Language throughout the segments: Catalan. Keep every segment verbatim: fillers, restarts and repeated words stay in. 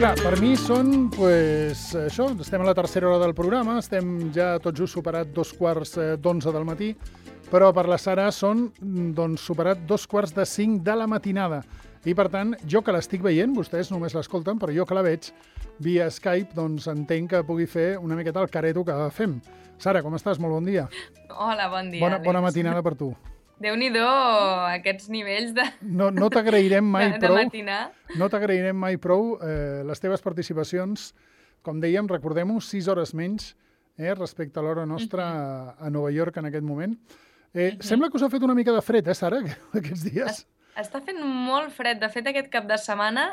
Clar, per mi són, pues, això, estem a la tercera hora del programa, estem ja tot just superat dos quarts d'onze del matí, però per la Sara són, doncs, superat dos quarts de cinc de la matinada. I, per tant, jo que l'estic veient, vostès només l'escolten, però jo que la veig via Skype, doncs entenc que pugui fer una miqueta el careto que fem. Sara, com estàs? Molt bon dia. Hola, bon dia. Bona, bona matinada per tu. Déu-n'hi-do, aquests nivells de No, no t'agrairem mai de, prou, de matinar. no t'agrairem mai prou eh, les teves participacions. Com dèiem, recordem-ho, sis hores menys eh, respecte a l'hora nostra a, a Nova York en aquest moment. Eh, uh-huh. Sembla que us ha fet una mica de fred, eh, Sara, aquests dies? Es, està fent molt fred. De fet, aquest cap de setmana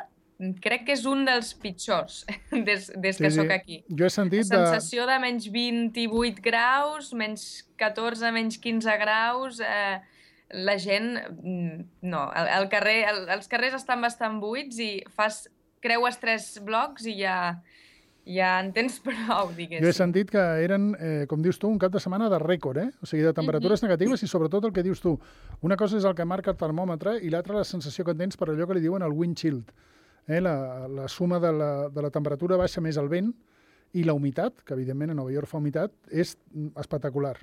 crec que és un dels pitjors des, des que sí, sóc sí. aquí. Jo he sentit La sensació de... de menys vint-i-vuit graus, menys catorze, menys quinze graus... Eh, la gent, no, el, el carrer, el, els carrers estan bastant buits i fas, creues tres blocs i ja, ja en tens prou, diguéssim. Jo he sentit que eren, eh, com dius tu, un cap de setmana de rècord, eh? O sigui, de temperatures mm-hmm. negatives i sobretot el que dius tu. Una cosa és el que marca el termòmetre i l'altra la sensació que tens per allò que li diuen el wind chill. Eh? La, la suma de la, de la temperatura baixa més el vent i la humitat, que evidentment a Nova York fa humitat, és espectacular.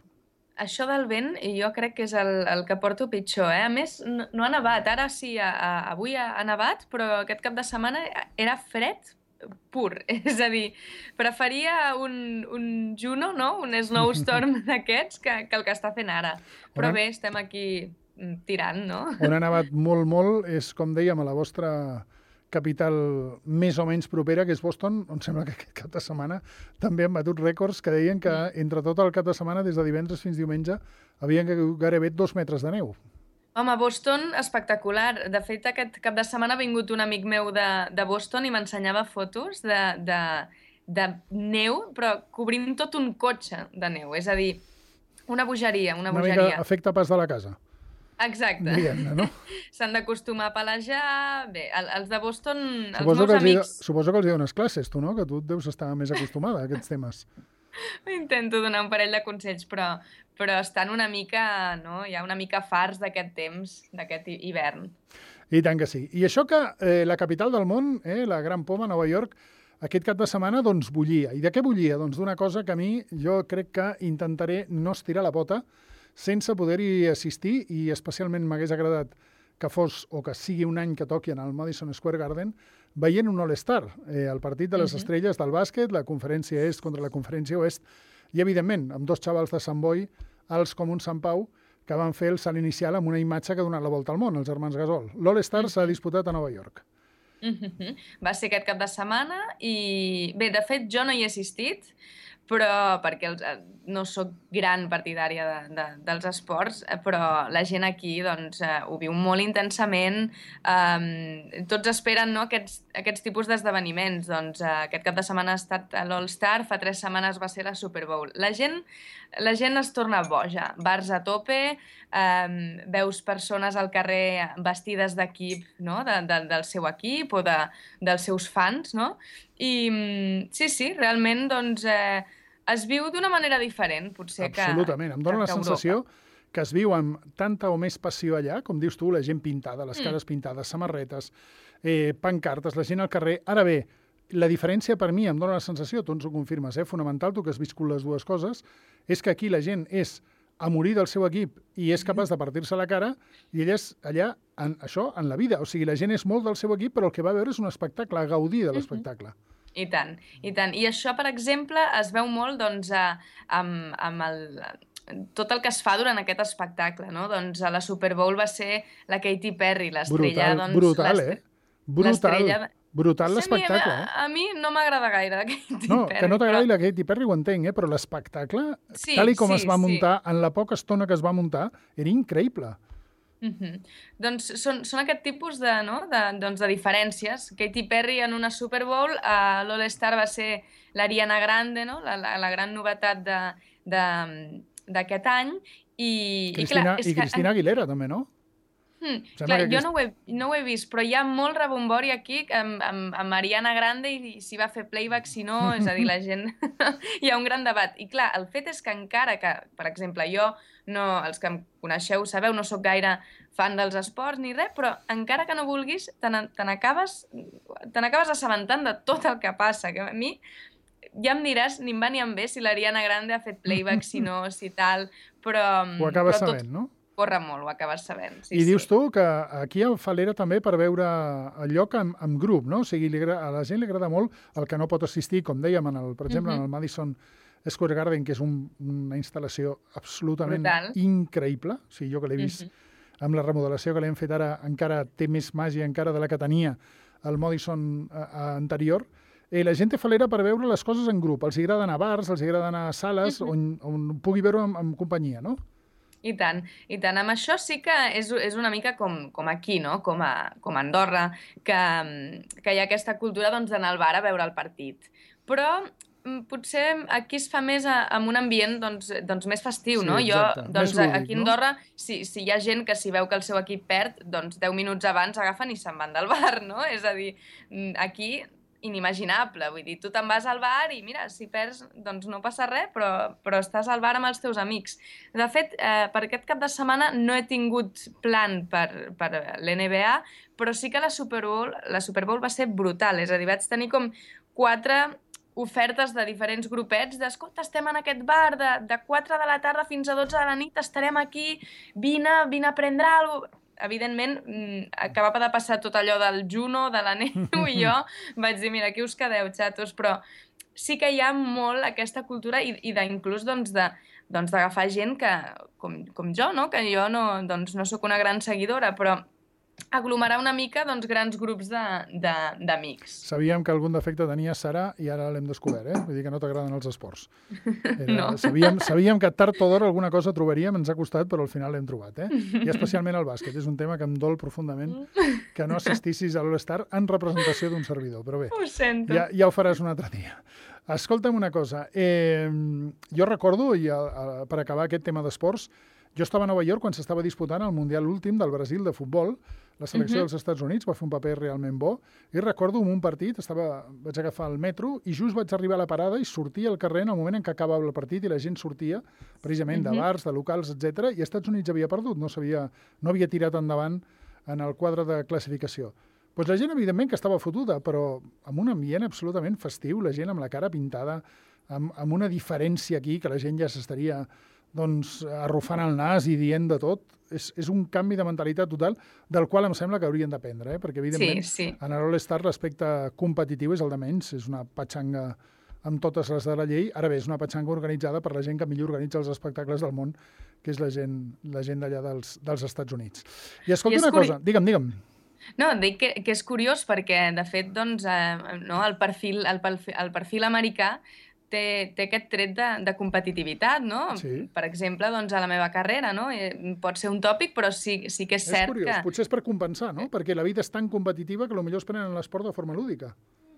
Això del vent jo crec que és el, el que porto pitjor, eh? A més, no, no ha nevat. Ara sí, a, a, avui ha, ha nevat, però aquest cap de setmana era fred pur. És a dir, preferia un, un Juno, no? Un snowstorm d'aquests que, que el que està fent ara. Però bé, estem aquí tirant, no? On ha nevat molt, molt és, com dèiem, a la vostra capital més o menys propera, que és Boston, on sembla que aquest cap de setmana també han batut rècords que deien que entre tot el cap de setmana, des de divendres fins diumenge, havien gairebé dos metres de neu. Home, Boston, espectacular. De fet, aquest cap de setmana ha vingut un amic meu de, de Boston i m'ensenyava fotos de, de, de neu, però cobrint tot un cotxe de neu. És a dir, una bogeria, una, una bogeria. Una mica efecte pas de la casa. Exacte. Diguem-ne, no? S'han d'acostumar a palejar. Bé, els de Boston, els suposo meus amics... Hi, suposo que els hi dones classes, tu, no? Que tu deus estar més acostumada a aquests temes. Intento donar un parell de consells, però, però estan una mica, no? Hi ha una mica farts d'aquest temps, d'aquest hivern. I tant que sí. I això que eh, la capital del món, eh, la Gran Poma, Nova York, aquest cap de setmana, doncs, bullia. I de què bullia? Doncs d'una cosa que a mi, jo crec que intentaré no estirar la pota, sense poder-hi assistir, i especialment m'hagués agradat que fos o que sigui un any que toqui en el Madison Square Garden, veient un All-Star, eh, el partit de les uh-huh. estrelles del bàsquet, la conferència est contra la conferència oest, i evidentment amb dos xavals de Sant Boi, alts com un Sant Pau, que van fer el salt inicial amb una imatge que ha donat la volta al món, els germans Gasol. L'All-Star uh-huh. s'ha disputat a Nova York. Uh-huh. Va ser aquest cap de setmana i, bé, de fet jo no hi he assistit, però perquè els, no sóc gran partidària de, de, dels esports, però la gent aquí doncs, eh, ho viu molt intensament. Eh, tots esperen, no, aquests, aquests tipus d'esdeveniments. Doncs, eh, aquest cap de setmana ha estat l'All-Star, fa tres setmanes va ser la Super Bowl. La gent, la gent es torna boja, bars a tope, eh, veus persones al carrer vestides d'equip, no, de, de, del seu equip o de, dels seus fans, no? I sí, sí, realment doncs, eh, es viu d'una manera diferent, potser que Absolutament. Em dóna que la sensació que es viu amb tanta o més passió allà, com dius tu, la gent pintada, les cares mm. pintades, samarretes, eh, pancartes, la gent al carrer. Ara bé, la diferència per mi, em dóna la sensació, tu ens ho confirmes, eh, fonamental, tu que has viscut les dues coses, és que aquí la gent és a morir del seu equip i és capaç de partir-se la cara, i ella és allà, en, això, en la vida. O sigui, la gent és molt del seu equip, però el que va veure és un espectacle, a gaudir de l'espectacle. Mm-hmm. I tant, i tant. I això, per exemple, es veu molt doncs, amb, amb el, tot el que es fa durant aquest espectacle, no? Doncs a la Super Bowl va ser la Katy Perry, l'estrella... Brutal, doncs, brutal, eh? Brutal, brutal l'espectacle, eh? A, a mi no m'agrada gaire la Katy no, Perry. Que no t'agradi però... la Katy Perry ho entenc, eh? Però l'espectacle, sí, tal i com sí, es va muntar, sí. en la poca estona que es va muntar, era increïble. Uh-huh. Doncs són, són aquest tipus de, no? de, doncs de diferències. Katy Perry en una Super Bowl, a l'All-Star va ser l'Ariana Grande, no? la, la, la gran novetat d'aquest any. I, Cristina, i, clar, és i Cristina que... Aguilera, també, no? Hmm, clar, jo aquest... no, ho he, no ho he vist, però hi ha molt rebombori aquí amb, amb, amb Ariana Grande i, i si va fer playback, si no, és a dir, la gent... hi ha un gran debat. I clar, el fet és que encara que, per exemple, jo, no, els que em coneixeu sabeu, no sóc gaire fan dels esports ni res, però encara que no vulguis, te n'acabes te n'acabes assabentant de tot el que passa, que a mi ja em diràs, ni em va ni em ve si l'Ariana Grande ha fet playback, si no, si tal, però... Ho acabes però sabent, tot... no? Corre molt, ho acabes sabent. Sí, I dius sí. tu que aquí a Falera també per veure el lloc amb, amb grup, no? O sigui, li, a la gent li agrada molt el que no pot assistir, com dèiem, en el, per exemple, uh-huh. en el Madison Square Garden, que és un, una instal·lació absolutament Brutal. increïble. O sigui, jo que l'he vist uh-huh. amb la remodelació que l'hem fet ara, encara té més màgia encara de la que tenia el Madison a, a anterior. Eh, la gent té Falera per veure les coses en grup. Els agrada anar a bars, els agrada anar a sales uh-huh. on, on pugui veure en, en companyia, no? I tant, i tant. Amb això sí que és, és una mica com, com aquí, no? Com a, com a Andorra, que, que hi ha aquesta cultura doncs, d'anar al bar a veure el partit. Però potser aquí es fa més a, amb un ambient doncs, doncs més festiu, sí, no? Exacte. Jo, doncs, lúdic, aquí a Andorra, no? si, si hi ha gent que si veu que el seu equip perd, doncs deu minuts abans agafen i se'n van del bar, no? És a dir, aquí... inimaginable, vull dir, tu te'n vas al bar i mira, si perds, doncs no passa res, però, però estàs al bar amb els teus amics. De fet, eh, per aquest cap de setmana no he tingut plan per, per l'N B A, però sí que la Super Bowl, la Super Bowl va ser brutal, és a dir, vaig tenir com quatre ofertes de diferents grupets d'escolta, estem en aquest bar de, de quatre de la tarda fins a dotze de la nit, estarem aquí, vine, vine a prendre alguna cosa. Evidentment, acabava de passar tot allò del Juno, de la neu, i jo vaig dir, mira, aquí us quedeu, xatos, però sí que hi ha molt aquesta cultura i, i d'inclús doncs, de, doncs, d'agafar gent que, com, com jo, no? Que jo no, doncs, no sóc una gran seguidora, però aglomerar una mica doncs, grans grups d'amics. Sabíem que algun defecte tenia Sara i ara l'hem descobert, eh? Vull dir que no t'agraden els esports. Era, no. Sabíem, sabíem que tard o d'hora alguna cosa trobaríem, ens ha costat, però al final l'hem trobat, eh? I especialment el bàsquet. És un tema que em dol profundament que no assistissis a l'All-Star en representació d'un servidor. Però bé, ho sento. Ja, ja ho faràs un altre dia. Escolta'm una cosa. Eh, jo recordo, i a, a, per acabar aquest tema d'esports, jo estava a Nova York quan s'estava disputant el Mundial últim del Brasil de futbol. La selecció uh-huh. dels Estats Units va fer un paper realment bo. I recordo en un partit, estava, vaig agafar el metro i just vaig arribar a la parada i sortia al carrer en el moment en què acabava el partit i la gent sortia, precisament uh-huh. de bars, de locals, etcètera. I els Estats Units havia perdut, no, sabia, no havia tirat endavant en el quadre de classificació. Pues la gent, evidentment, que estava fotuda, però amb un ambient absolutament festiu, la gent amb la cara pintada, amb, amb una diferència aquí, que la gent ja s'estaria doncs, arrufant el nas i dient de tot. És, és un canvi de mentalitat total del qual em sembla que haurien d'aprendre, eh? Perquè, evidentment, sí, sí. en l'All-Star l'aspecte competitiu és el de menys, és una patxanga amb totes les de la llei. Ara bé, és una patxanga organitzada per la gent que millor organitza els espectacles del món, que és la gent, la gent d'allà dels, dels Estats Units. I escolta I una curi... cosa, digue'm, digue'm. No, dic que, que és curiós perquè, de fet, doncs, eh, no, el, perfil, el, perfil, el perfil americà té, té aquest tret de, de competitivitat, no? Sí. Per exemple, doncs, a la meva carrera, no? Pot ser un tòpic, però sí, sí que és, és cert curiós. que... Potser és per compensar, no? Perquè la vida és tan competitiva que potser es prenen l'esport de forma lúdica.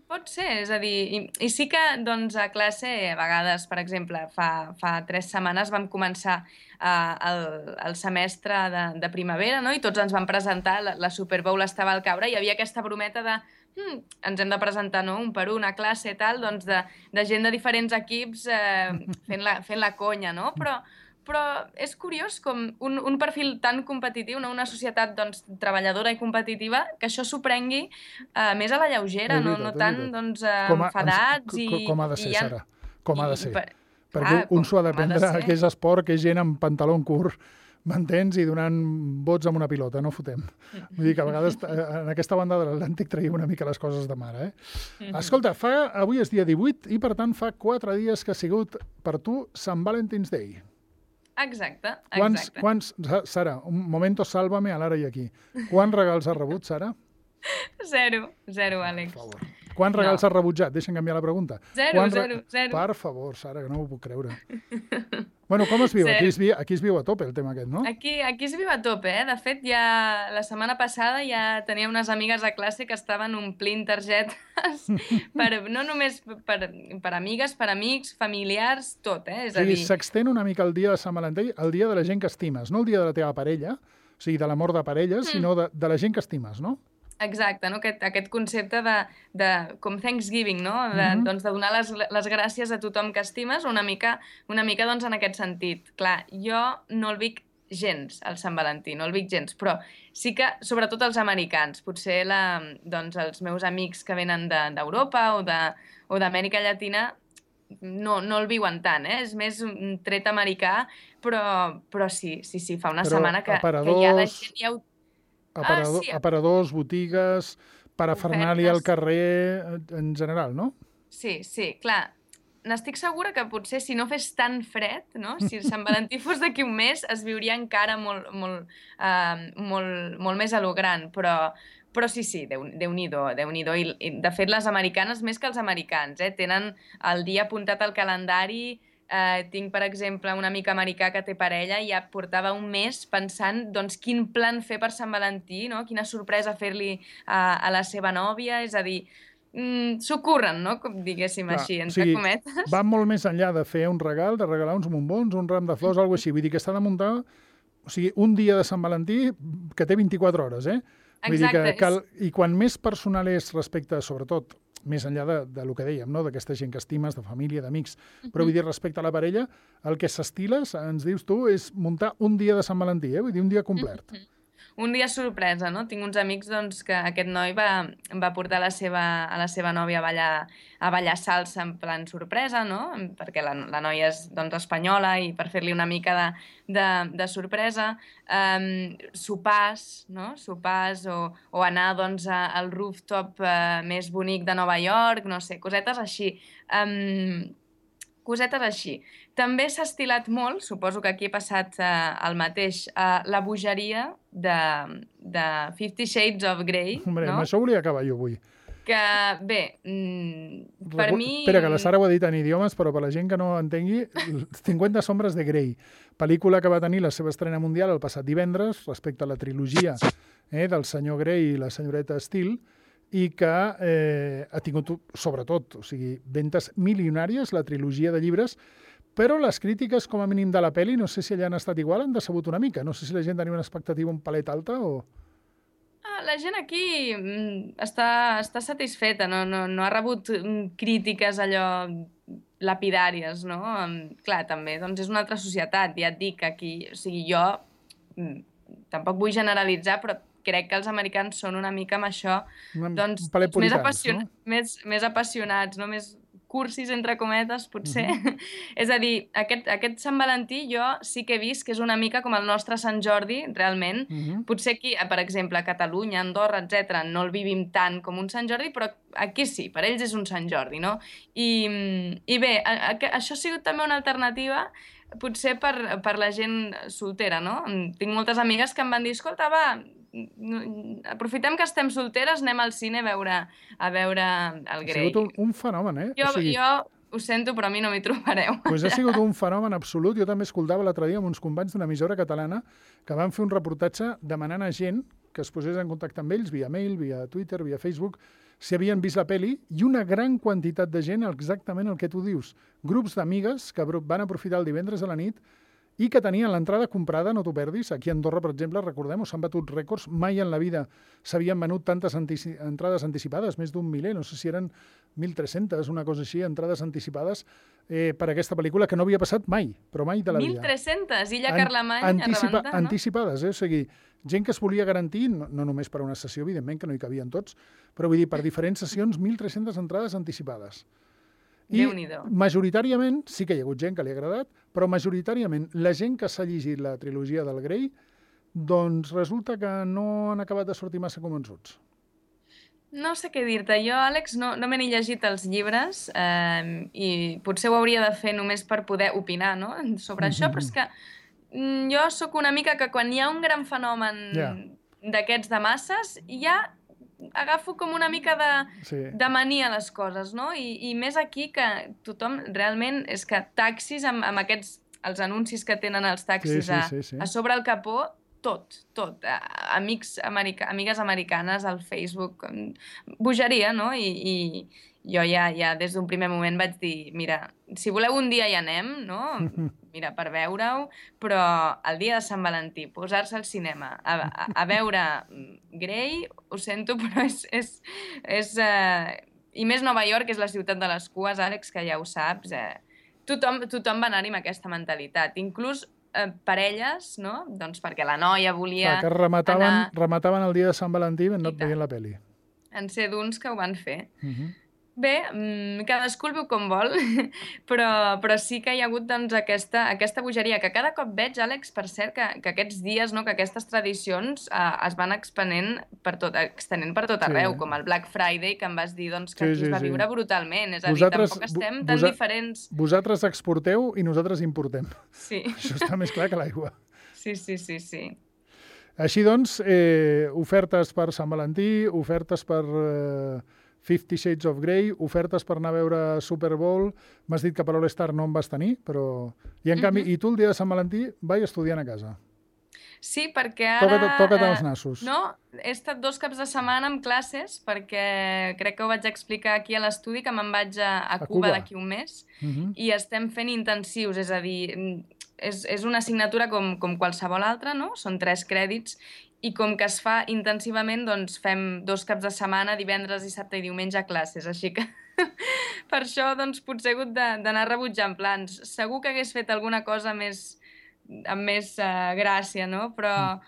Pot ser, és a dir, i, i sí que doncs, a classe, a vegades, per exemple, fa, fa tres setmanes vam començar uh, el, el semestre de, de primavera, no? I tots ens vam presentar, la, la Super Bowl estava al caure, i hi havia aquesta brometa de hm, ens hem de presentar, no?, un per un a classe i tal, doncs de, de gent de diferents equips eh, fent, la, fent la conya, no? Però, però és curiós com un, un perfil tan competitiu, no? Una societat doncs, treballadora i competitiva, que això s'ho prengui eh, més a la lleugera, veritat, no, no tant doncs, eh, com a, enfadats com, i... Com ha de ser, ha... Sara, com ha de ser. I, per... Perquè ah, un s'ho ha d'aprendre, de que és esport, que és gent amb pantaló curt, m'entens? I donant vots amb una pilota, no fotem. Vull dir que a vegades en aquesta banda de l'Atlàntic traiem una mica les coses de mare, eh? Mm-hmm. Escolta, fa, avui és dia divuit i per tant fa quatre dies que ha sigut per tu Sant Valentine's Day. Exacte, quants, exacte. Quants, Sara, un momento sálvame a l'ara i aquí. Quants regals has rebut, Sara? Zero, zero, Àlex. Per favor. Quants regals no. has rebutjat? Deixa'm canviar la pregunta. Zero, Quants zero, zero. Per favor, Sara, que no m'ho puc creure. Bueno, com es viu? Aquí es viu, aquí es viu a tope el tema aquest, no? Aquí, aquí es viu a tope, eh? De fet, ja la setmana passada ja tenia unes amigues a classe que estaven omplint targetes, per, no només per, per amigues, per amics, familiars, tot, eh? És o sigui, a dir... s'extén una mica el dia de Sant Valentí, el dia de la gent que estimes, no el dia de la teva parella, O sigui, de l'amor de parelles, mm. sinó de, de la gent que estimes, no? Exacte, no? aquest, aquest concepte de, de com Thanksgiving, no? De, Mm-hmm. doncs, de donar les, les gràcies a tothom que estimes, una mica, una mica doncs, en aquest sentit. Clar, jo no el vic gens, el Sant Valentí, no el vic gens, però sí que, sobretot els americans, potser la, doncs, els meus amics que venen d'Europa de, o de, o d'Amèrica Llatina no, no el viuen tant, eh? És més un tret americà, però, però sí, sí, sí, fa una però setmana que, aparadors... que ja la gent ja ho... Aparador, ah, sí. Aparadors, botigues, parafernàlia al carrer, en general, no? Sí, sí, clar. N'estic segura que potser si no fes tan fred, no? Si el Sant Valentí fos d'aquí un mes, es viuria encara molt, molt, uh, molt, molt més a lo gran, però, però sí, sí, Déu-n'hi-do, Déu-n'hi-do. I, I, de fet, les americanes, més que els americans, eh, tenen el dia apuntat al calendari. Uh, tinc, per exemple, un amic americà que té parella i ja portava un mes pensant doncs, quin plan fer per Sant Valentí, no? Quina sorpresa fer-li a, a la seva nòvia, és a dir, mm, s'ho curren, no? Com diguéssim. Clar, així, entre o sigui, cometes. Va molt més enllà de fer un regal, de regalar uns bombons, un ram de flors, mm-hmm. alguna així. Vull dir que està de muntar, o sigui, un dia de Sant Valentí que té vint-i-quatre hores, eh? Vull Exacte. Dir que cal... I quan més personal és respecte, sobretot, més enllà de, de lo que dèiem, no? D'aquesta gent que estimes, de família, d'amics, uh-huh. però vull dir, respecte a la parella, el que s'estiles, ens dius tu, és muntar un dia de Sant Valentí, eh? Vull dir, un dia complet. Uh-huh. Un dia sorpresa, no? Tinc uns amics doncs, que aquest noi va, va portar la seva, a la seva nòvia a ballar, a ballar salsa en plan sorpresa, no? Perquè la, la noia és doncs, espanyola i per fer-li una mica de, de, de sorpresa. Um, sopars, no? Sopars o, o anar doncs, a, al rooftop uh, més bonic de Nova York, no sé, cosetes així. Um, cosetes així. També s'ha estilat molt, suposo que aquí he passat eh, el mateix, eh, la bogeria de, de Fifty Shades of Grey. Hombre, no? amb això volia acabar jo avui. Que, bé, mm, per Recu... mi... Espera, que la Sara ho ha dit en idiomes, però per la gent que no entengui, cinquanta sombres de Grey, pel·lícula que va tenir la seva estrena mundial el passat divendres, respecte a la trilogia eh, del senyor Grey i la senyoreta Steele, i que eh, ha tingut, sobretot, o sigui, ventes milionàries, la trilogia de llibres, però les crítiques, com a mínim de la pel·li, no sé si allà han estat igual, han decebut una mica. No sé si la gent tenia una expectativa un palet alta o... Ah, la gent aquí mm, està, està satisfeta, no, no, no ha rebut mm, crítiques allò lapidàries, no? Um, clar, també, doncs és una altra societat, ja et dic, aquí, o sigui, jo mm, tampoc vull generalitzar, però crec que els americans són una mica amb això, doncs, més, apassion... no? més, més apassionats, no? Més cursis, entre cometes, potser. Uh-huh. És a dir, aquest, aquest Sant Valentí jo sí que he vist que és una mica com el nostre Sant Jordi, realment. Uh-huh. Potser aquí, per exemple, a Catalunya, Andorra, etcètera, no el vivim tant com un Sant Jordi, però aquí sí, per ells és un Sant Jordi, no? I, i bé, a, a, això ha sigut també una alternativa potser per, per la gent soltera, no? Tinc moltes amigues que em van dir, escolta, va, aprofitem que estem solteres, anem al cine a veure, a veure el Grey. Ha sigut un, un fenomen, eh? Jo, o sigui... jo ho sento, però a mi no m'hi trobareu. Pues ha sigut un fenomen absolut. Jo també escoltava l'altre dia amb uns companys d'una emissora catalana que van fer un reportatge demanant a gent que es posés en contacte amb ells via mail, via Twitter, via Facebook, si havien vist la peli, i una gran quantitat de gent, exactament el que tu dius. Grups d'amigues que van aprofitar el divendres a la nit i que tenien l'entrada comprada, no t'ho perdis. Aquí a Andorra, per exemple, recordem, s'han batut rècords. Mai en la vida s'havien venut tantes antici entrades anticipades, més d'un miler, no sé si eren mil tres-centes, una cosa així, entrades anticipades eh, per aquesta pel·lícula, que no havia passat mai, però mai de la vida. mil tres-centes? Illa Carlemany Anticipa a rebentar, no? Anticipades, eh? O sigui, gent que es volia garantir, no, no només per una sessió, evidentment, que no hi cabien tots, però vull dir, per diferents sessions, mil tres-centes entrades anticipades. I majoritàriament, sí que hi ha hagut gent que li ha agradat, però majoritàriament la gent que s'ha llegit la trilogia del Grey, doncs resulta que no han acabat de sortir massa convençuts. No sé què dir-te. Jo, Àlex, no, no me n'he llegit els llibres eh, i potser ho hauria de fer només per poder opinar, no?, sobre mm-hmm. això, però és que mm, jo sóc una mica que quan hi ha un gran fenomen yeah. d'aquests de masses, ja agafo com una mica de, sí. de mania a les coses, no? I, I més aquí que tothom realment és que taxis amb, amb aquests, els anuncis que tenen els taxis sí, sí, sí, sí. A, a sobre el capó, tot, tot. Amics america, amigues americanes al Facebook, bogeria, no? I, i, jo ja, ja des d'un primer moment vaig dir, mira, si voleu un dia hi anem, no? Mira, per veure-ho, però el dia de Sant Valentí, posar-se al cinema, a, a, a veure Grey, ho sento, però és... és, és uh... I més Nova York, és la ciutat de les cues, Àlex, que ja ho saps, eh? Tothom, tothom va anar-hi amb aquesta mentalitat, inclús eh, parelles, no? Doncs perquè la noia volia Clar, que remataven, anar... remataven el dia de Sant Valentí no et veient la pel·li. En ser d'uns que ho van fer. Uh -huh. Bé, mmm, cadascú el veu com vol, però, però sí que hi ha hagut doncs, aquesta, aquesta bogeria, que cada cop veig, Àlex, per cert, que, que aquests dies, no, que aquestes tradicions eh, es van expenent per tot, extenent per tot arreu, sí. com el Black Friday, que em vas dir doncs, que sí, aquí sí, es va sí. viure brutalment. És a vosaltres, dir, tampoc estem tan vosa, diferents... Vosaltres exporteu i nosaltres importem. Sí. Això està més clar que l'aigua. Sí, sí, sí, sí. Així doncs, eh, ofertes per Sant Valentí, ofertes per... Eh, Fifty Shades of Grey, ofertes per anar a veure Super Bowl. M'has dit que per All-Star no en vas tenir, però... I en canvi, uh -huh. i tu el dia de Sant Valentí vaig estudiant a casa. Sí, perquè ara... Toca't, toca't els nassos. No, he estat dos caps de setmana amb classes, perquè crec que ho vaig explicar aquí a l'estudi, que me'n vaig a, a, a Cuba, Cuba. d'aquí un mes, uh -huh. i estem fent intensius, és a dir, és, és una assignatura com, com qualsevol altra, no? Són tres crèdits, i com que es fa intensivament, doncs fem dos caps de setmana, divendres, dissabte i diumenge a classes, així que per això doncs, potser he hagut d'anar rebutjant plans. Segur que hagués fet alguna cosa més, amb més uh, gràcia, no? Però, mm.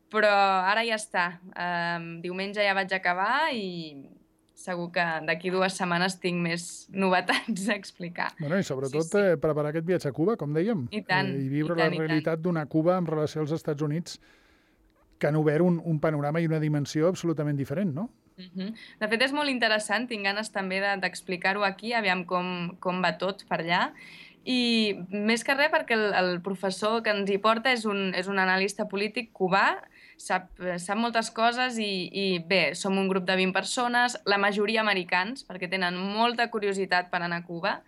però ara ja està. Um, diumenge ja vaig acabar i segur que d'aquí dues setmanes tinc més novetats a explicar. Bueno, i sobretot sí, sí. Eh, preparar aquest viatge a Cuba, com dèiem. I tant. Eh, I viure i tant, la realitat d'una Cuba en relació als Estats Units, que han obert un, un panorama i una dimensió absolutament diferent, no? Uh -huh. De fet, és molt interessant, tinc ganes també d'explicar-ho de, aquí, aviam com, com va tot per allà, i més que res perquè el, el professor que ens hi porta és un, és un analista polític cubà, sap, sap moltes coses i, i bé, som un grup de vint persones, la majoria americans, perquè tenen molta curiositat per anar a Cuba,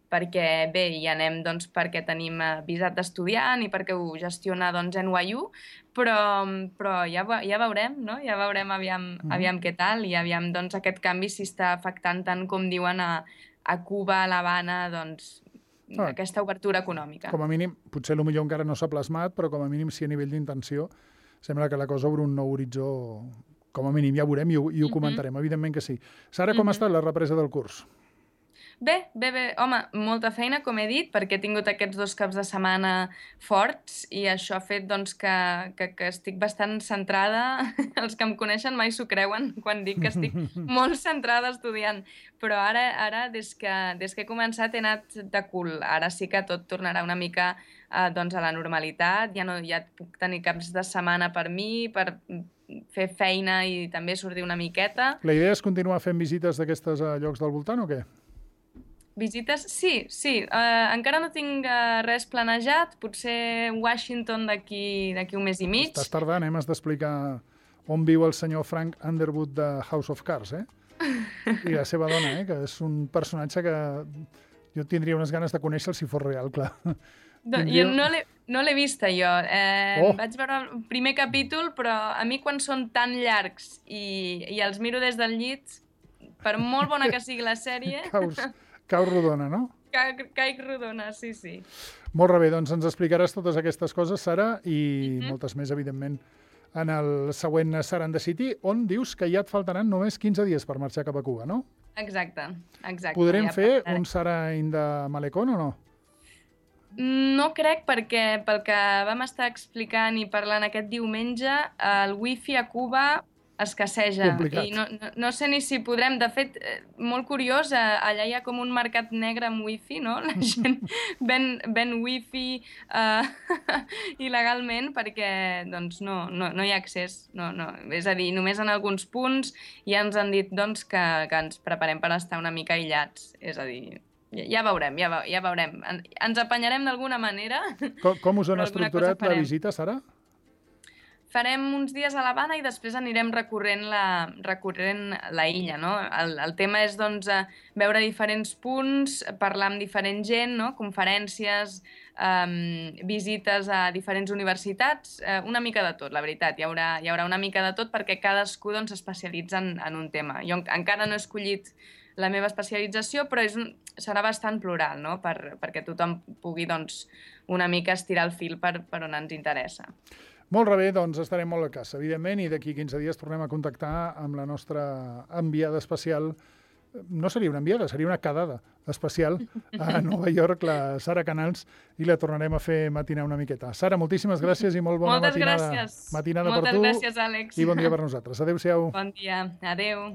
perquè bé, hi anem doncs, perquè tenim visat d'estudiant i perquè ho gestiona doncs, N Y U, però, però ja, ja veurem, no? Ja veurem aviam, mm. aviam què tal i aviam doncs, aquest canvi si està afectant tant com diuen a, a Cuba, a l'Havana, doncs, ah, aquesta obertura econòmica. Com a mínim, potser potser encara no s'ha plasmat, però com a mínim sí a nivell d'intenció sembla que la cosa obre un nou horitzó, com a mínim ja veurem i ho, i ho mm -hmm. comentarem, evidentment que sí. Sara, com mm -hmm. ha estat la represa del curs? Bé, bé, bé. Home, molta feina, com he dit, perquè he tingut aquests dos caps de setmana forts i això ha fet doncs, que, que, que estic bastant centrada. Els que em coneixen mai s'ho creuen quan dic que estic molt centrada estudiant. Però ara, ara des, que, des que he començat, he anat de cul. Ara sí que tot tornarà una mica eh, doncs, a la normalitat. Ja no ja puc tenir caps de setmana per mi, per fer feina i també sortir una miqueta. La idea és continuar fent visites d'aquestes a llocs del voltant o què? Visites? Sí, sí. Uh, encara no tinc uh, res planejat. Potser Washington d'aquí d'aquí un mes i mig. Estàs tardant, eh? M'has d'explicar on viu el senyor Frank Underwood de House of Cards, eh? I la seva dona, eh? Que és un personatge que jo tindria unes ganes de conèixer si fos real, clar. No, tindria... Jo no l'he no l'he vista, jo. Eh, oh. Vaig veure el primer capítol, però a mi quan són tan llargs i, i els miro des del llit, per molt bona que sigui la sèrie... Caus... Cau rodona, no? Ca caic rodona, sí, sí. Molt bé, doncs ens explicaràs totes aquestes coses, Sara, i mm -hmm. moltes més, evidentment, en el següent Sara and the City, on dius que ja et faltaran només quinze dies per marxar cap a Cuba, no? Exacte, exacte. Podrem ja fer un Sara in the Malecón o no? No crec, perquè pel que vam estar explicant i parlant aquest diumenge, el wifi a Cuba escasseja. Complicat. I no, no, no sé ni si podrem... De fet, molt curiós, allà hi ha com un mercat negre amb wifi, no? La gent ven, ven wifi uh, il·legalment perquè doncs, no, no, no hi ha accés. No, no. És a dir, només en alguns punts ja ens han dit doncs, que, que ens preparem per estar una mica aïllats. És a dir... Ja, ja veurem, ja, ja veurem. Ens apanyarem d'alguna manera. Com, com us han estructurat la visita, Sara? Farem uns dies a l'Havana i després anirem recorrent la, recorrent la illa, no? El, el tema és, doncs, veure diferents punts, parlar amb diferent gent, no? Conferències, um, visites a diferents universitats, uh, una mica de tot, la veritat. Hi haurà, hi haurà una mica de tot perquè cadascú doncs, s'especialitza en, en un tema. Jo encara no he escollit la meva especialització, però és un, serà bastant plural, no? Per, perquè tothom pugui doncs, una mica estirar el fil per, per on ens interessa. Molt bé, doncs estarem molt al cas, evidentment, i d'aquí quinze dies tornem a contactar amb la nostra enviada especial. No seria una enviada, seria una quedada especial a Nova York, la Sara Canals, i la tornarem a fer matinar una miqueta. Sara, moltíssimes gràcies i molt bona Moltes matinada. gràcies. Matinada Moltes per tu gràcies, Àlex. I bon dia per nosaltres. Adéu-siau. Bon dia. Adéu.